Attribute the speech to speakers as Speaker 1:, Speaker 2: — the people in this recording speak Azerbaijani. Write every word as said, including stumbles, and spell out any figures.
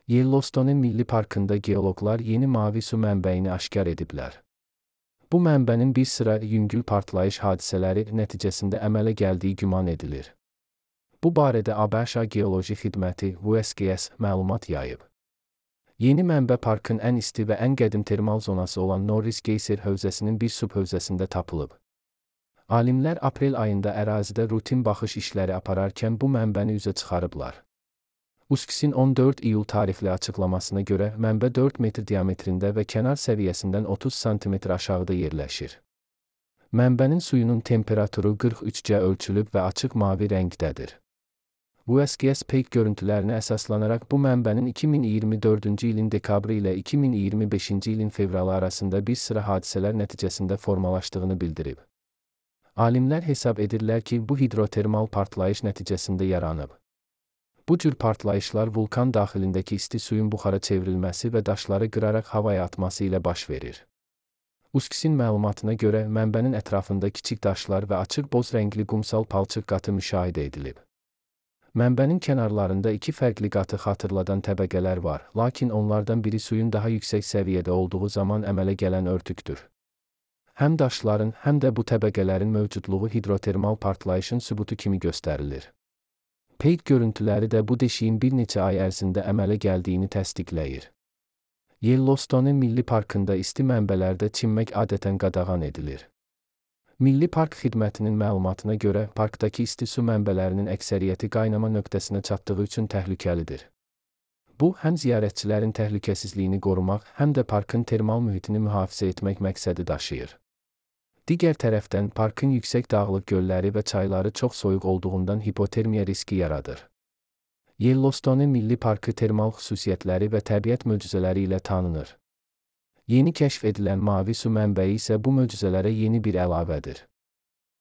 Speaker 1: Yellowstone Milli Parkında geoloqlar yeni mavi su mənbəyini aşkar ediblər. Bu mənbənin bir sıra yüngül partlayış hadisələri nəticəsində əmələ gəldiyi güman edilir. Bu barədə ABŞ Geoloji Xidməti U S G S məlumat yayıb. Yeni mənbə parkın ən isti və ən qədim termal zonası olan Norris Geyser hövzəsinin bir subhövzəsində tapılıb. Alimlər aprel ayında ərazidə rutin baxış işləri apararkən bu mənbəni üzə çıxarıblar. U S G S-in on dörd iyul tarixli açıqlamasına görə mənbə dörd metr diametrində və kənar səviyyəsindən otuz santimetr aşağıda yerləşir. Mənbənin suyunun temperaturu qırx üç dərəcə ölçülüb və açıq mavi rəngdədir. U S G S peyk görüntülərinə əsaslanaraq bu mənbənin iki min iyirmi dördüncü ilin dekabrı ilə iki min iyirmi beşinci ilin fevralı arasında bir sıra hadisələr nəticəsində formalaşdığını bildirib. Alimlər hesab edirlər ki, bu hidrotermal partlayış nəticəsində yaranıb. Bu cür partlayışlar vulkan daxilindəki isti suyun buxara çevrilməsi və daşları qıraraq havaya atması ilə baş verir. U S G S-in məlumatına görə mənbənin ətrafında kiçik daşlar və açıq boz rəngli qumsal palçıq qatı müşahidə edilib. Mənbənin kənarlarında iki fərqli qatı xatırladan təbəqələr var, lakin onlardan biri suyun daha yüksək səviyyədə olduğu zaman əmələ gələn örtükdür. Həm daşların, həm də bu təbəqələrin mövcudluğu hidrotermal partlayışın sübutu kimi göstərilir. Peyk görüntüləri də bu deşiyin bir neçə ay ərzində əmələ gəldiyini təsdiqləyir. Yellowstone Milli Parkında isti mənbələrdə çimmək adətən qadağan edilir. Milli Park Xidmətinin məlumatına görə parkdakı isti su mənbələrinin əksəriyyəti qaynama nöqtəsinə çatdığı üçün təhlükəlidir. Bu, həm ziyarətçilərin təhlükəsizliyini qorumaq, həm də parkın termal mühitini mühafizə etmək məqsədi daşıyır. Digər tərəfdən, parkın yüksək dağlıq gölləri və çayları çox soyuq olduğundan hipotermiya riski yaradır. Yellowstone Milli Parkı termal xüsusiyyətləri və təbiət möcüzələri ilə tanınır. Yeni kəşf edilən mavi su mənbəyi isə bu möcüzələrə yeni bir əlavədir.